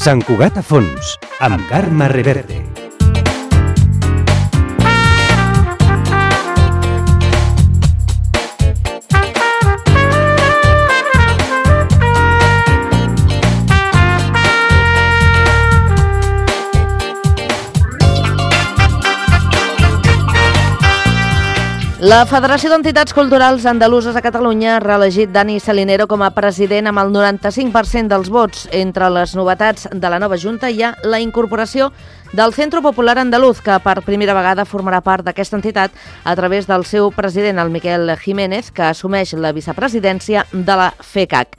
Sant Cugat a fons, amb Carme Reverte. La Federació d'Entitats Culturals Andaluses a Catalunya ha reelegit Dani Salinero com a president amb el 95% dels vots. Entre les novetats de la nova Junta hi ha la incorporació del Centro Popular Andaluz, que per primera vegada formarà part d'aquesta entitat a través del seu president, el Miquel Jiménez, que assumeix la vicepresidència de la FECAC.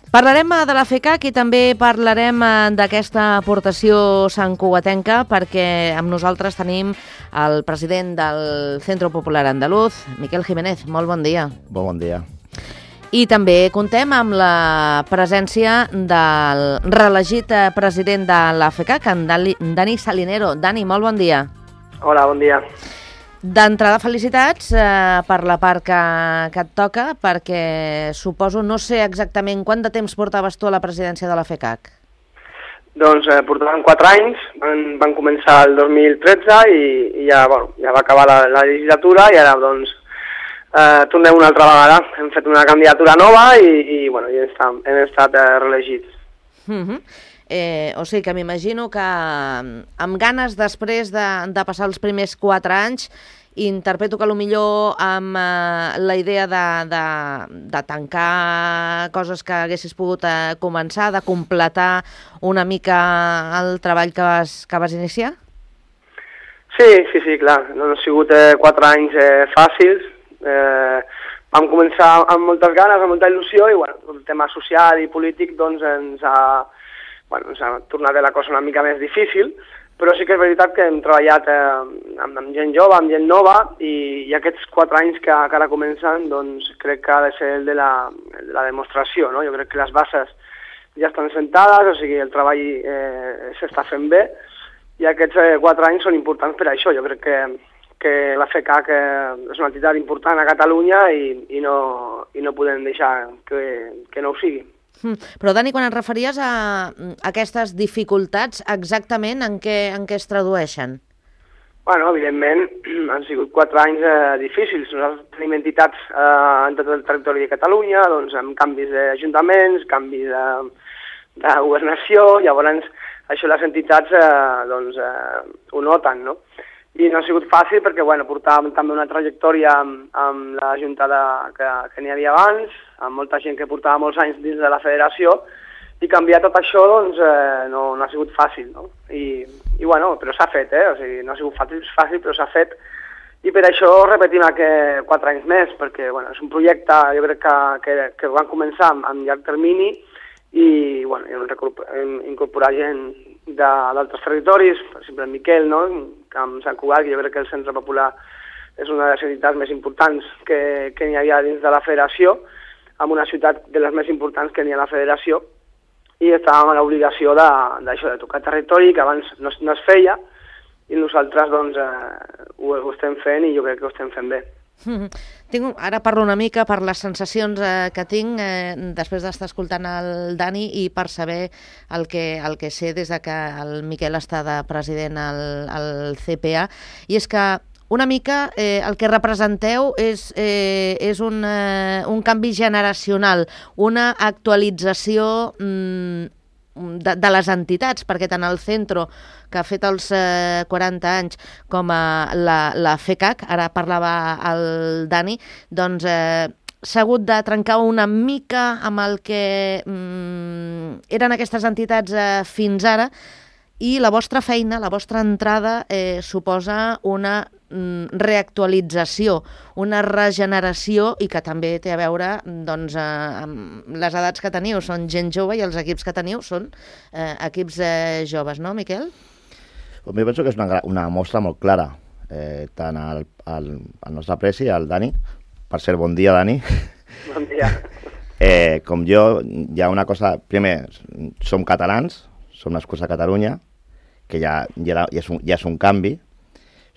Parlarem de la FECAC i també parlarem d'aquesta aportació santcugatenca, perquè amb nosaltres tenim el president del Centro Popular Andaluz, Miquel Jiménez. Molt bon dia. Bon dia. I també contem amb la presència del reelegit president de la FECAC, en Dani Salinero. Dani, molt bon dia. Hola, bon dia. D'entrada, felicitats per la part que et toca, perquè suposo, no sé exactament quant de temps portaves tu a la presidència de la FECAC. Doncs portàvem 4 anys, van començar el 2013 i ja va acabar la legislatura i ara doncs tornem una altra vegada. Hem fet una candidatura nova i hem estat reelegits. O sigui que m'imagino que amb ganes després de passar els primers 4 anys, interpreto que potser amb la idea de tancar coses que haguessis pogut començar, de completar una mica el treball que vas iniciar? Sí, clar. No han sigut 4 anys fàcils. Vam començar amb moltes ganes, amb molta il·lusió i el tema social i polític doncs ens ha tornat la cosa una mica més difícil, però sí que és veritat que hem treballat amb gent jove, amb gent nova, i aquests 4 anys que ara comencen, doncs crec que ha de ser el de la demostració, no? Jo crec que les bases ja estan sentades, o sigui, el treball s'està fent bé, i aquests 4 anys són importants per això. Jo crec que la FECAC és una entitat important a Catalunya i no podem deixar que no ho sigui. Però, Dani, quan et referies a aquestes dificultats, exactament en què es tradueixen? Evidentment, han sigut 4 anys difícils. Nosaltres tenim entitats en tot el territori de Catalunya, doncs amb canvis d'ajuntaments, canvis de governació, llavors això les entitats ho noten, no? I no ha sigut fàcil perquè portàvem també una trajectòria amb la Junta que n'hi havia abans, amb molta gent que portava molts anys dins de la federació, i canviar tot això doncs, no ha sigut fàcil, no? Però s'ha fet, o sigui, no ha sigut fàcil, però s'ha fet, i per això repetim 4 anys més, perquè és un projecte, jo crec que van començar amb llarg termini, i hem incorporat gent d'altres territoris, per exemple el Miquel, no? Amb Sant Cugat, que jo crec que el Centre Popular és una de les entitats més importants que n'hi havia dins de la federació, amb una ciutat de les més importants que n'hi ha a la federació, i estàvem a l'obligació de tocar territori, que abans no es feia, i nosaltres doncs, ho estem fent i jo crec que ho estem fent bé. Ara parlo una mica per les sensacions que tinc després d'estar escoltant el Dani i per saber el que sé des de que el Miquel està de president al CPA, i és que una mica el que representeu és un canvi generacional, una actualització de les entitats, perquè tant el Centro, que ha fet els 40 anys, com la FECAC, ara parlava el Dani, doncs s'ha hagut de trencar una mica amb el que eren aquestes entitats fins ara, i la vostra feina, la vostra entrada suposa una reactualització, una regeneració, i que també té a veure doncs, amb les edats que teniu. Són gent jove i els equips que teniu són equips joves, no, Miquel? Jo penso que és una mostra molt clara, tant al nostre presi, al Dani. Per cert, bon dia, Dani. Bon dia. Com jo, hi ha una cosa... Primer, som catalans, som nascuts a Catalunya, que ja és un canvi.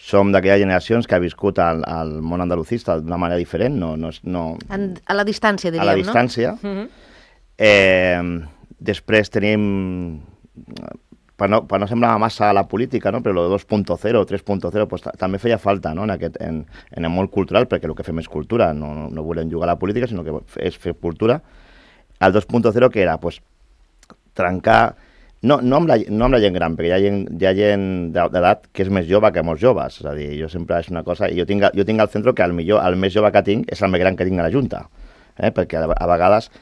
som d'aquelles generacions que ha viscut el món andalucista d'una manera diferent, a la distància, diríem, no? A la distància. Després tenim, per no semblar massa a la política, no? Però el 2.0, 3.0, pues, també feia falta, no? en el món cultural, perquè el que fem és cultura, no volem jugar a la política, sinó que és fer cultura. El 2.0 que era, pues, trencar... No amb la gent gran, perquè hi ha gent d'edat que és més jove que molts joves. És a dir, jo sempre és una cosa... Jo tinc al centre que el més jove que tinc és el més gran que tinc a la Junta. Perquè a vegades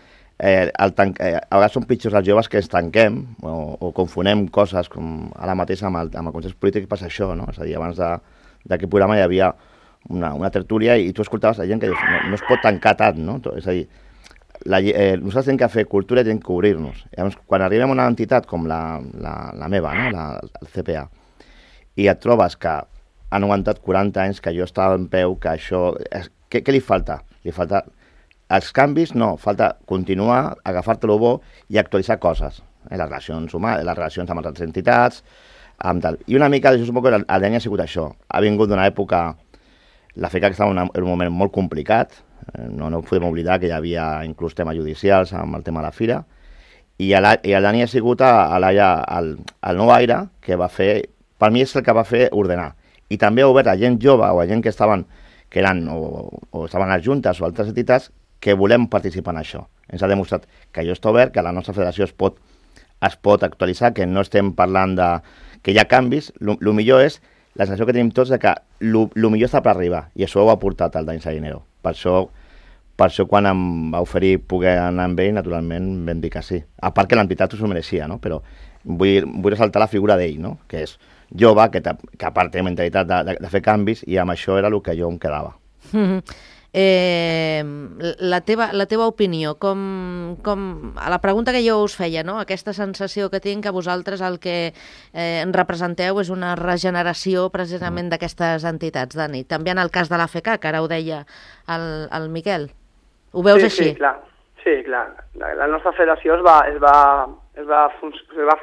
són pitjors els joves que ens tanquem o confonem coses, com ara mateix amb el consens polític passa això, no? És a dir, abans d'aquest programa hi havia una tertúlia i tu escoltaves la gent que dius, no es pot tancar tant, no? És a dir, nosaltres hem que fer cultura i hem que obrir-nos. Llavors, quan arribem a una entitat com la meva, no? El CPA, i et trobes que han aguantat 40 anys, que jo estava en peu, que això... Què li falta? Li falta els canvis, no, falta continuar, agafar-te-lo bo i actualitzar coses. Les relacions humanes, les relacions amb altres entitats, amb tal. I una mica, jo suposo que el DANI ha sigut això. Ha vingut d'una època... La FECAC estava en un moment molt complicat, no podem oblidar que hi havia inclús temes judicials amb el tema de la fira, i el Dani ha sigut el nou aire que va fer, per mi és el que va fer ordenar, i també ha obert a gent jove o a gent que estaven o estaven a les juntes o altres entitats que volem participar en això. Ens ha demostrat que allò està obert, que la nostra federació es pot actualitzar, que no estem parlant que hi ha canvis, el millor és la sensació que tenim tots de que el millor està per arribar, i això ho ha portat el Dani Salinero. Per això quan em va oferir poder anar amb ell, naturalment vam dir que sí. A part que l'entitat s'ho mereixia, no? Però vull ressaltar la figura d'ell, no? Que és jove, que a part té mentalitat de fer canvis, i amb això era el que jo em quedava. La teva opinió, a la pregunta que jo us feia, no? Aquesta sensació que tinc que vosaltres el que representeu és una regeneració precisament d'aquestes entitats, Dani. També en el cas de la FECAC, que ara ho deia el Miquel. Ho veus així? Sí, clar. La nostra federació es va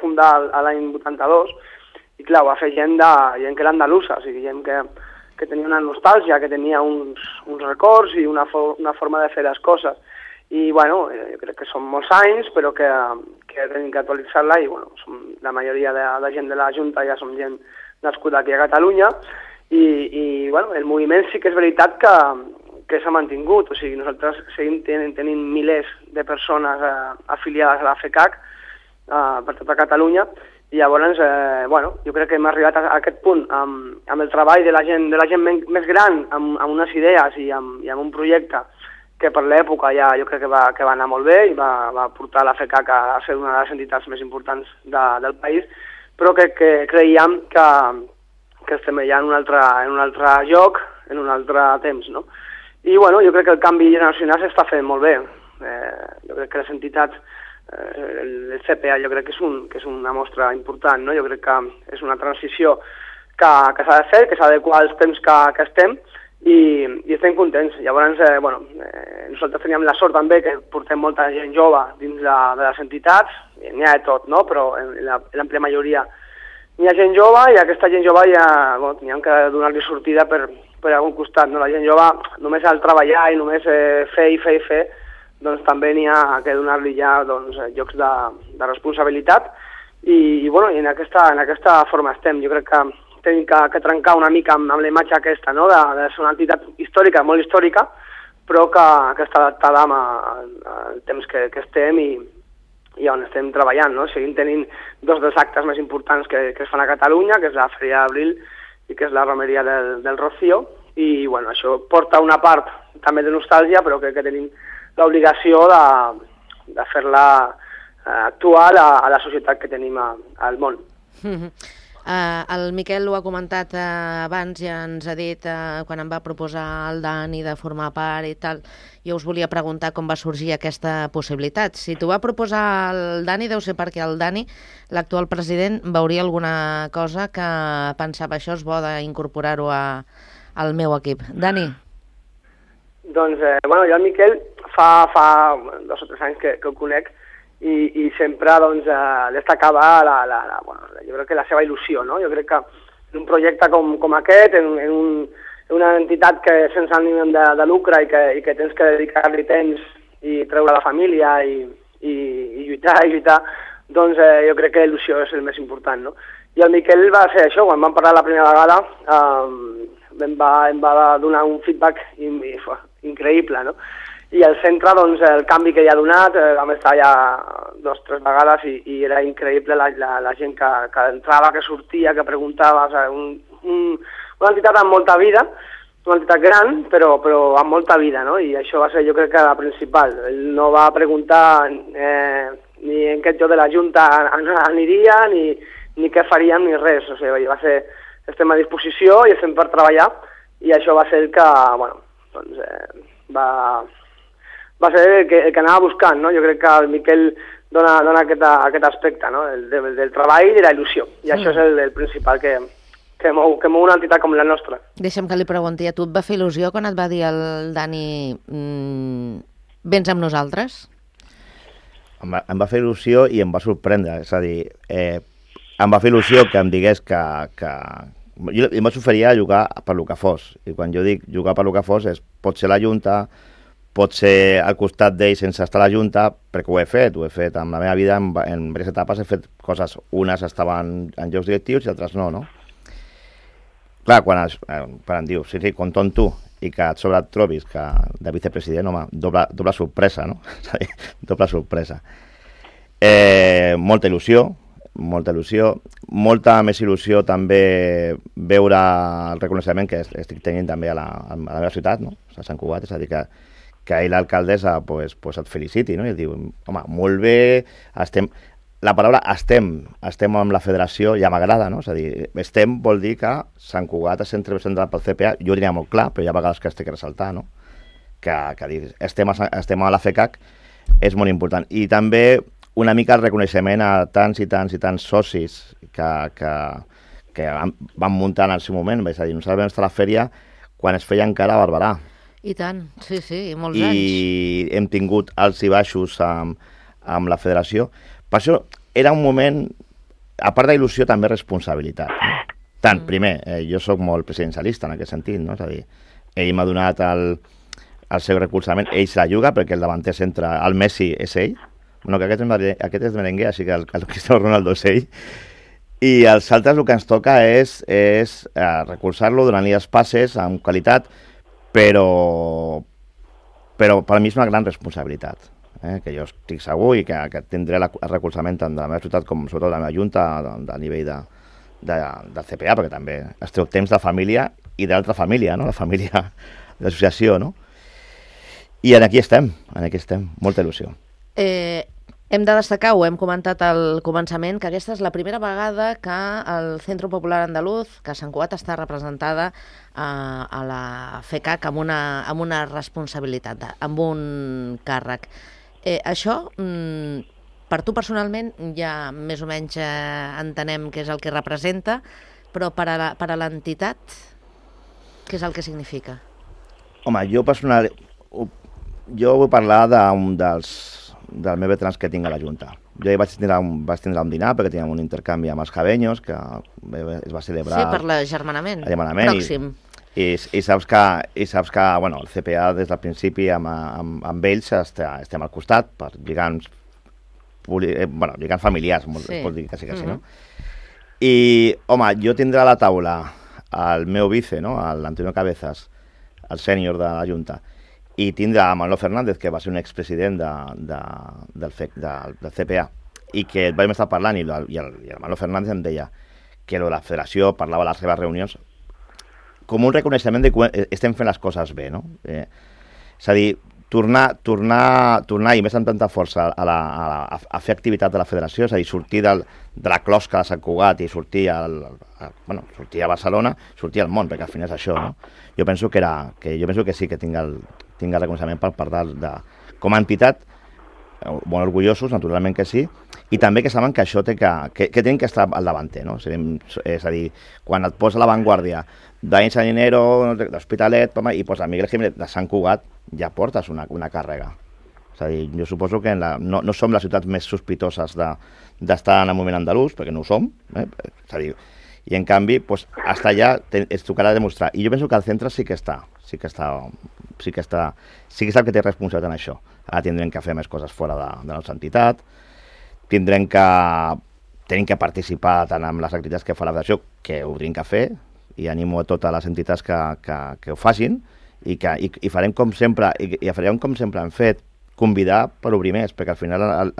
fundar l'any 82 i, clar, ho va fer gent que era andalusa, o sigui, gent que tenia una nostàlgia, que tenia uns records i una forma de fer les coses. I, bueno, jo crec que són molts anys, però que tenim que actualitzar-la i, bueno, la majoria de gent de la Junta ja som gent nascuda aquí a Catalunya i, bueno, el moviment sí que és veritat que s'ha mantingut, o sigui, nosaltres seguim tenint milers de persones afiliades a la FECAC per tota Catalunya. I llavors, bueno, jo crec que hem arribat a aquest punt amb el treball de la gent més gran, amb unes idees i amb un projecte que per l'època ja jo crec que va anar molt bé i va portar la FECAC a ser una de les entitats més importants del país, però que creiem que estem ja en un altre lloc, en un altre temps, no? I, bueno, jo crec que el canvi generacional s'està fent molt bé. Jo crec que les entitats, el CPA jo crec que és una mostra important, no? Jo crec que és una transició que s'ha de fer, que s'ha d'adequar als temps que estem i estem contents. Llavors, bueno, nosaltres teníem la sort també que portem molta gent jove dins de les entitats, n'hi ha de tot, no? Però en l'àmplia majoria n'hi ha gent jove i aquesta gent jove ja teníem que donar-li sortida per algun costat, no? La gent jove només al treballar i només fer, doncs també n'hi ha que donar-li ja llocs de responsabilitat i bueno, i en aquesta forma estem. Jo crec que tenim que trencar una mica amb la imatge aquesta, no? De ser una entitat històrica, molt històrica, però que està adaptada al temps que estem i on estem treballant, no? Seguim tenint dos dels actes més importants que es fan a Catalunya, que és la Feria d'Abril i que és la romeria del Rocío, i bueno, això porta una part també de nostàlgia, però crec que tenim l'obligació de fer-la actual a la societat que tenim al món. El Miquel ho ha comentat abans, ja ens ha dit quan em va proposar el Dani de formar part i tal. Jo us volia preguntar com va sorgir aquesta possibilitat. Si t'ho va proposar el Dani, deu ser perquè el Dani, l'actual president, veuria alguna cosa que pensava això és bo d'incorporar-ho al meu equip. Dani? Doncs, bueno, jo el Miquel fa 2 o 3 anys que el conec i sempre destacava jo crec que la seva il·lusió, no? Jo crec que un projecte com aquest, en una entitat que sense ànim de lucre i que tens que dedicar-li temps i treure la família i lluitar, doncs jo crec que l'il·lusió és el més important, no? I el Miquel va fer això, quan vam parlar la primera vegada, em va donar un feedback increïble, no? I al centre, doncs, el canvi que hi ha donat, vam estar ja 2 o 3 vegades i era increïble la gent que entrava, que sortia, que preguntava, una entitat amb molta vida, una entitat gran, però amb molta vida, no? I això va ser, jo crec que la principal. Ell no va preguntar ni en què jo de la Junta aniria, ni què faríem, ni res. O sigui, va ser, estem a disposició i estem per treballar, i això va ser el que, bueno, doncs, va ser el que anava buscant, no? Jo crec que el Miquel dona aquest aspecte, no? Del treball i de la il·lusió, i això és el principal que mou una entitat com la nostra. Deixa'm que li pregunti a tu, et va fer il·lusió quan et va dir el Dani vens amb nosaltres? Em va fer il·lusió i em va sorprendre, és a dir, em va fer il·lusió que em digués que jo em vaig oferir a jugar per lo que fos, i quan jo dic jugar per lo que fos és pot ser la Junta, pot ser al costat d'ell sense estar a la Junta, perquè ho he fet en la meva vida, en diverses etapes he fet coses, unes estaven en llocs directius i altres no? Clar, quan em diu, sí, compto amb tu, i que et sobre et trobis que de vicepresident, home, doble sorpresa, no? Doble sorpresa. Molta il·lusió, molta més il·lusió també veure el reconeixement que estic tenint també a la meva ciutat, no? A Sant Cugat, és a dir, que ahir l'alcaldessa pues et feliciti, no? I et diu, home, molt bé, la paraula estem amb la federació ja m'agrada, no? És a dir, estem vol dir que Sant Cugat es sent representat pel CPA, jo ho diria molt clar, però hi ha vegades que es té que ressaltar, no? Que dir, estem a la FECAC és molt important. I també una mica el reconeixement a tants i tants socis que van muntar en el seu moment, és a dir, nosaltres vam estar a la fèria quan es feia encara a Barberà. I tant, sí, molts anys. I hem tingut alts i baixos amb la federació. Per això era un moment, a part d'il·lusió, també responsabilitat. No? Tant, primer, jo sóc molt presidencialista en aquest sentit, no? És a dir, ell m'ha donat el seu recolzament, ell se la juga perquè el davanter centre, el Messi és ell, bueno, que aquest és merengue, així que el Cristiano Ronaldo és ell, i els altres el que ens toca és recolzar-lo, donar-li els passes amb qualitat, però per mi és una gran responsabilitat, que jo estic segur i que tindré el recolzament tant de la meva ciutat com sobretot de la meva Junta a nivell del CPA, perquè també es treu temps de família i d'altra família, no? La família de l'associació, no? I aquí estem, molta il·lusió. Hem de destacar, ho hem comentat al començament, que aquesta és la primera vegada que el Centro Popular Andaluz, que Sant Cugat està representada a la FECAC amb una responsabilitat, amb un càrrec. Això, per tu personalment, ja més o menys entenem què és el que representa, però per a l'entitat, què és el que significa? Home, jo vull parlar dels meus veterans que tinc a la Junta. Jo vaig tindre un dinar perquè teníem un intercanvi amb els jabenyos que es va celebrar... Sí, per l'agermanament pròxim. I saps que bueno, el CPA des del principi amb ells estem al costat per lligams familiars, pot dir que sí, no? I, home, jo tindré a la taula el meu vice, no? l'Antonio Cabezas, el sènior de la Junta, i tindre a Manolo Fernández, que va ser un expresident del CPA, i que vam estar parlant, i el Manolo Fernández em deia que la federació parlava a les seves reunions com un reconeixement de que estem fent les coses bé, no? És a dir, tornar, i més amb tanta força, a fer activitat de la federació, és a dir, sortir de la closca de Sant Cugat i sortir a Barcelona, sortir al món, perquè al final és això, no? Jo penso que sí que tinc el reconeixement per part com a entitat, molt orgullosos, naturalment que sí, i també que saben que això que tenen que estar al davanter, no? És a dir, quan et posa a l'avantguàrdia d'Ain Saninero, d'Hospitalet, i posa Miguel Jiménez de Sant Cugat, ja portes una càrrega. És a dir, jo suposo que no som les ciutats més sospitoses d'estar en el moviment andalús, perquè no ho som, és a dir, I en canvi, doncs, hasta allà es tocarà demostrar. I jo penso que el centre sí que és el que té responsabilitat en això. Ara tindrem que fer més coses fora de la nostra entitat, tenim que participar tant en les activitats que fa la federació, que ho tenim que fer, i animo a totes les entitats que ho facin, i farem com sempre, i farem com sempre hem fet, convidar per obrir més, perquè al final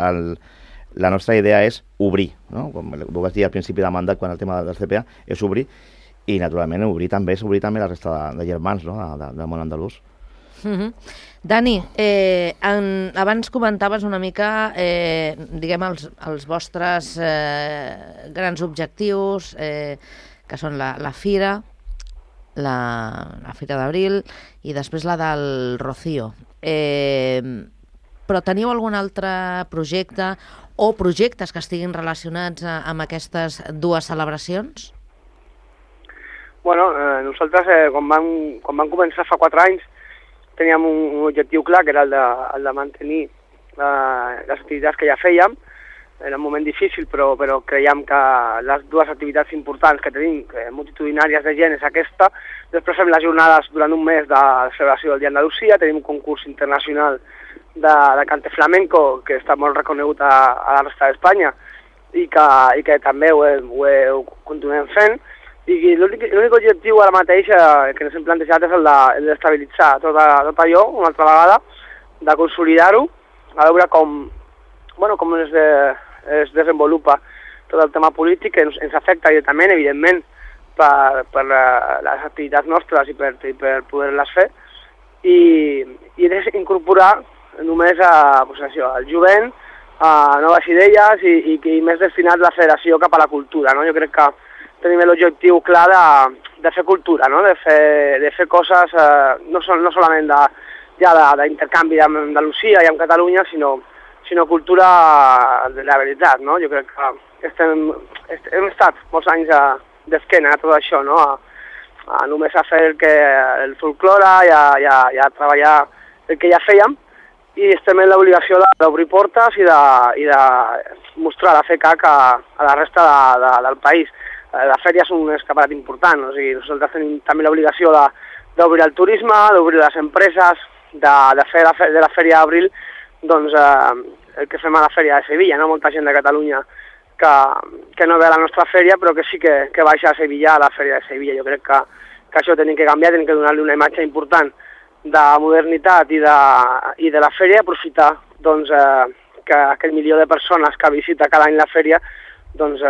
la nostra idea és obrir, no? Com ho vas dir al principi de mandat, quan el tema del CPA, és obrir, i naturalment obrir també la resta de germans, no? del món andalús. Dani, abans comentaves una mica diguem els vostres grans objectius, que són la Fira, la Fira d'Abril i després la del Rocío. Però teniu algun altre projecte o projectes que estiguin relacionats amb aquestes dues celebracions? Bueno, nosaltres, quan vam començar fa 4 anys, teníem un objectiu clar, que era el de mantenir les activitats que ja fèiem. Era un moment difícil, però creiem que les dues activitats importants que tenim, multitudinàries de gent, és aquesta. Després fem les jornades durant un mes de celebració del Dia d'Andalusia, tenim un concurs internacional de cante flamenco, que està molt reconegut a la resta d'Espanya, i que també ho continuem fent. I l'únic objectiu ara mateix que ens hem plantejat és el d'estabilitzar tot allò, una altra vegada, de consolidar-ho, a veure com es desenvolupa tot el tema polític, que ens afecta directament, evidentment, per les activitats nostres i per poder-les fer, i incorporar només al jovent, a noves idees i més destinat la federació cap a la cultura, no? Jo crec que tenim l'objectiu clar de fer cultura, no? De fer coses no solament d'intercanvi amb Andalusia i amb Catalunya, sinó cultura de la veritat, no? Jo crec que hem estat molts anys d'esquena a tot això, no? Només a fer el folklore i a treballar el que ja fèiem, i estem en l'obligació d'obrir portes i de mostrar la FECAC a la resta del país. La fèria és un escaparat important, o sigui, nosaltres tenim també l'obligació d'obrir el turisme, d'obrir les empreses, de fer de la fèria d'Abril doncs, el que fem a la fèria de Sevilla, no? Molta gent de Catalunya que no ve a la nostra fèria, però que sí que baixa a Sevilla, a la fèria de Sevilla. Jo crec que això tenim que canviar, tenim que donar-li una imatge important de modernitat i de la fèria, aprofitar doncs, que aquell milió de persones que visita cada any la fèria, doncs,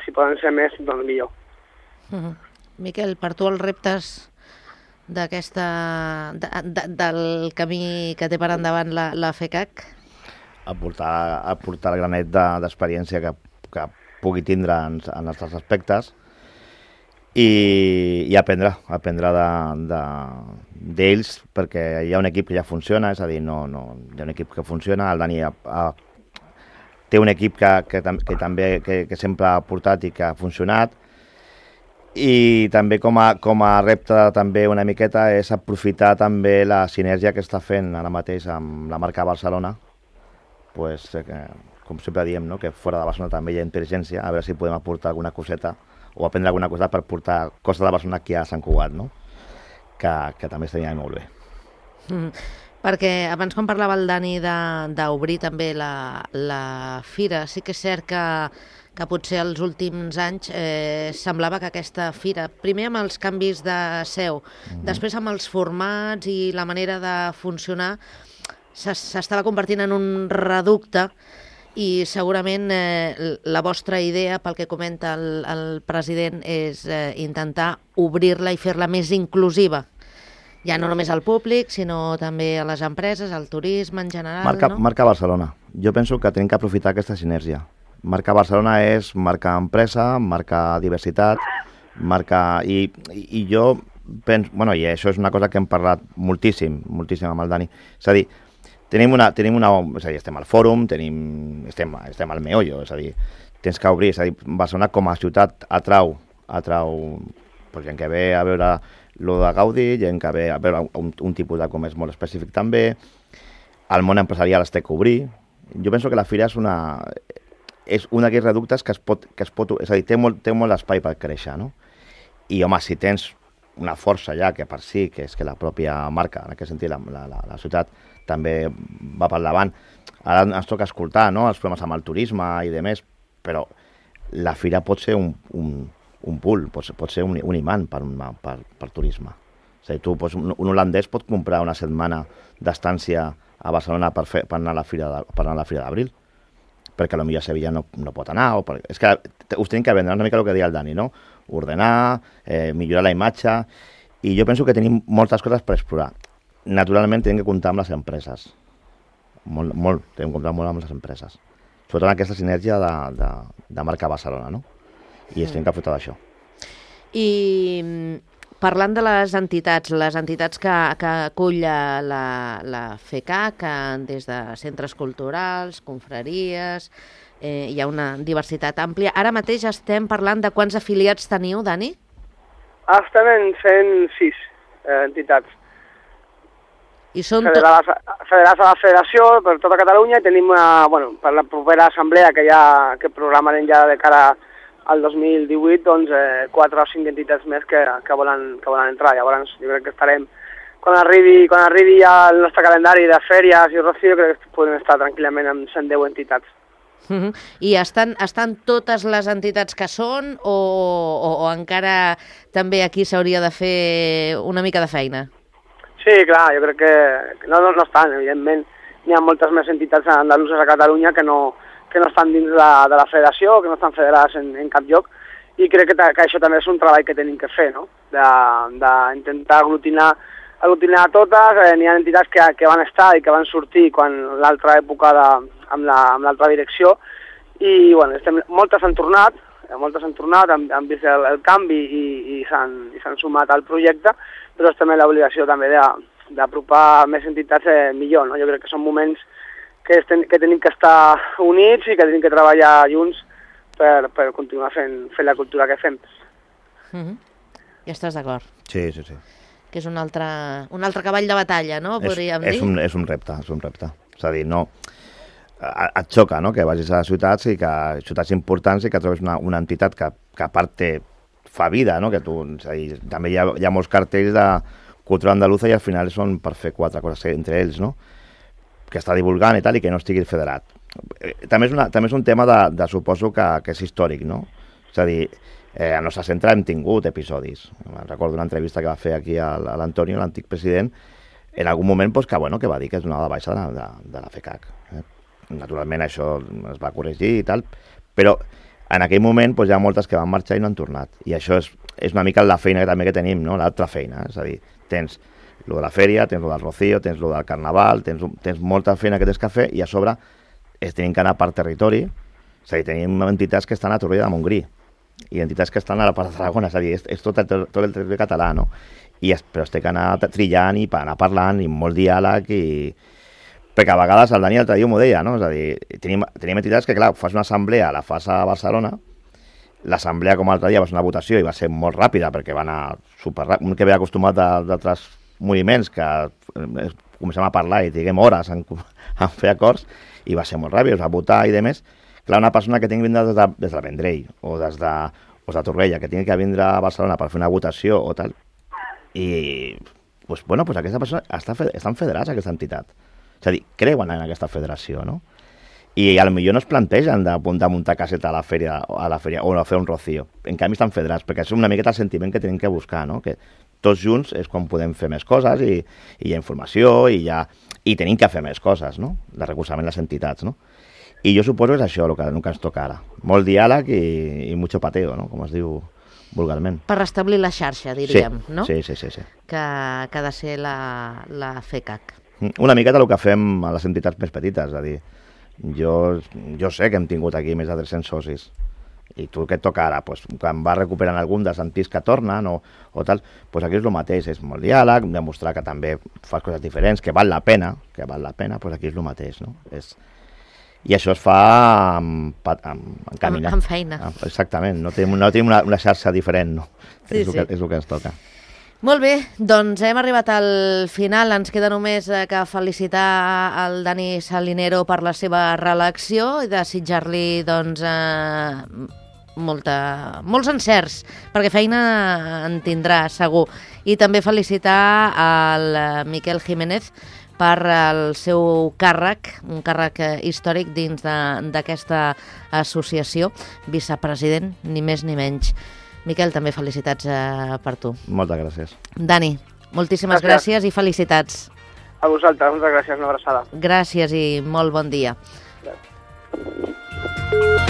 si poden ser més, doncs millor. Miquel, per tu els reptes del camí que té per endavant la FECAC? Aportar el granet d'experiència que pugui tindre en els altres aspectes, i aprendre d'ells, perquè hi ha un equip que ja funciona, és a dir, hi ha un equip que funciona, el Dani té un equip que sempre ha portat i que ha funcionat, i també com a repte també una miqueta és aprofitar també la sinergia que està fent ara mateix amb la marca Barcelona, pues, com sempre diem, no? Que fora de Barcelona també hi ha intel·ligència, a veure si podem aportar alguna coseta o aprendre alguna cosa per portar coses de Barcelona aquí a Sant Cugat, no? Que també estaria molt bé. Perquè abans, quan parlava el Dani d'obrir també la fira, sí que és cert que potser els últims anys semblava que aquesta fira, primer amb els canvis de seu, després amb els formats i la manera de funcionar, s'estava convertint en un reducte, i segurament la vostra idea, pel que comenta el president, és intentar obrir-la i fer-la més inclusiva. Ja no només al públic, sinó també a les empreses, al turisme en general, no? Marca Barcelona. Jo penso que tenim que aprofitar aquesta sinergia. Marca Barcelona és marca empresa, marca diversitat, marca... I jo penso... Bueno, i això és una cosa que hem parlat moltíssim amb el Dani. És a dir, estem al fòrum, estem al meollo, és a dir, tens que obrir, és a dir, Barcelona com a ciutat atrau gent que ve a veure lo de Gaudí, gent que ve a veure un tipus de comerç molt específic també, el món empresarial es té que obrir. Jo penso que la fira és un d'aquells reductes que es pot... És a dir, té molt espai per créixer, no? I, home, si tens una força ja que per si, que és que la pròpia marca, en aquest sentit, la ciutat també va per davant. Ara ens toca escoltar, no?, els problemes amb el turisme i demés, però la fira pot ser un pull, pot ser un imant per turisme. És a dir, un holandès pot comprar una setmana d'estància a Barcelona per anar a la fira d'Abril, perquè potser a Sevilla no pot anar. És que us tenim que vendre una mica el que deia el Dani, no? Ordenar, millorar la imatge, i jo penso que tenim moltes coses per explorar. Naturalment tenim que comptar amb les empreses, tenim que comptar molt amb les empreses, sobretot aquesta sinergia de marca Barcelona, no? I tenim que aprofitar d'això. I parlant de les entitats que acull la FECAC, des de centres culturals, confraries, hi ha una diversitat àmplia. Ara mateix estem parlant de quants afiliats teniu, Dani? Estem en 106 entitats. I són federats a la federació per tota Catalunya, i tenim, per la propera assemblea que programarem ja de cara al 2018, doncs 4 o 5 entitats més que volen entrar. Llavors jo crec que estarem, quan arribi ja el nostre calendari de fèries i Rocío, crec que podem estar tranquil·lament amb 110 entitats. I estan totes les entitats que són, o encara també aquí s'hauria de fer una mica de feina? Sí, clar, jo crec que no estan, evidentment. N'hi ha moltes més entitats andaluses a Catalunya que no estan dins de la federació, que no estan federades en cap lloc, i crec que això també és un treball que tenim que fer, no? D'intentar aglutinar totes. N'hi ha entitats que van estar i que van sortir quan l'altra època amb l'altra direcció, i moltes han tornat, han vist el canvi i s'han sumat al projecte, però és també l'obligació també d'apropar més entitats millor, no? Jo crec que són moments que tenim que estar units i que tenim que treballar junts per continuar fent la cultura que fem. Ja estàs d'acord? Sí. Que és un altre cavall de batalla, no? Podríem dir. És un repte. És a dir, no... Et xoca, no?, que vagis a ciutats ciutats importants i que trobes una entitat que a part fa vida, no?, que tu... És a dir, també hi ha molts cartells de cultura andaluza i al final són per fer 4 coses entre ells, no?, que està divulgant i tal, i que no estigui federat. També és un tema suposo que és històric, no? És a dir, al nostre centre hem tingut episodis. Recordo una entrevista que va fer aquí a l'Antonio, l'antic president, en algun moment que va dir que es donava de baixa de la FECAC. Naturalment això es va corregir i tal, però en aquell moment hi ha moltes que van marxar i no han tornat. I això és una mica la feina que tenim, no?, l'altra feina. És a dir, tens lo de la fèria, tens lo del Rocío, tens lo del Carnaval, tens molta feina que tens que fer, i a sobre tenim que anar per territori. És a dir, tenim entitats que estan a Torroella de Montgrí i entitats que estan a la part de Tarragona. És a dir, és tot el territori català, no? Però es té que anar trillant i anar parlant, i molt diàleg, perquè a vegades el Dani l'altre dia m'ho deia, no? És a dir, tenim entitats que, clar, fas una assemblea, la fas a Barcelona, l'assemblea com l'altre dia va ser una votació i va ser molt ràpida, perquè va anar superràpid, un que ve acostumat d'altres moviments que comencem a parlar i diguem hores en fer acords, i va ser molt ràpid, es va votar i demés. Clar, una persona que tingui que vindre des del Vendrell o des de Torrella, que tingui que vindre a Barcelona per fer una votació o tal, i aquesta persona estan federats, aquesta entitat. És a dir, creuen en aquesta federació, no? I potser no es plantegen de muntar caseta a la fèria o a fer un Rocío. En canvi estan federats, perquè és una miqueta el sentiment que tenim que buscar, no? Que tots junts és quan podem fer més coses, i hi ha informació, i tenim que fer més coses, no?, de recolzament a les entitats, no? I jo suposo que és això el que ens toca ara. Molt diàleg i mucho pateo, no?, com es diu vulgarment. Per restablir la xarxa, diríem, no? Sí. Que ha de ser la FECAC. Una miqueta el que fem a les entitats més petites, és a dir, jo sé que hem tingut aquí més de 300 socis, i tu què et toca ara? Quan vas recuperant algun dels antics que tornen o tal, aquí és el mateix, és molt diàleg, demostrar que també fas coses diferents, que val la pena, aquí és el mateix, no? I això es fa caminant. Amb feina. Exactament, no tenim una xarxa diferent, no? Sí, és el que ens toca. Molt bé, doncs hem arribat al final. Ens queda només que felicitar el Dani Salinero per la seva reelecció i desitjar-li doncs, molts encerts, perquè feina en tindrà segur. I també felicitar el Miquel Jiménez per el seu càrrec, un càrrec històric dins d'aquesta associació, vicepresident, ni més ni menys. Miquel, també felicitats per tu. Moltes gràcies. Dani, moltíssimes gràcies i felicitats. A vosaltres, moltes gràcies, una abraçada. Gràcies i molt bon dia. Gràcies.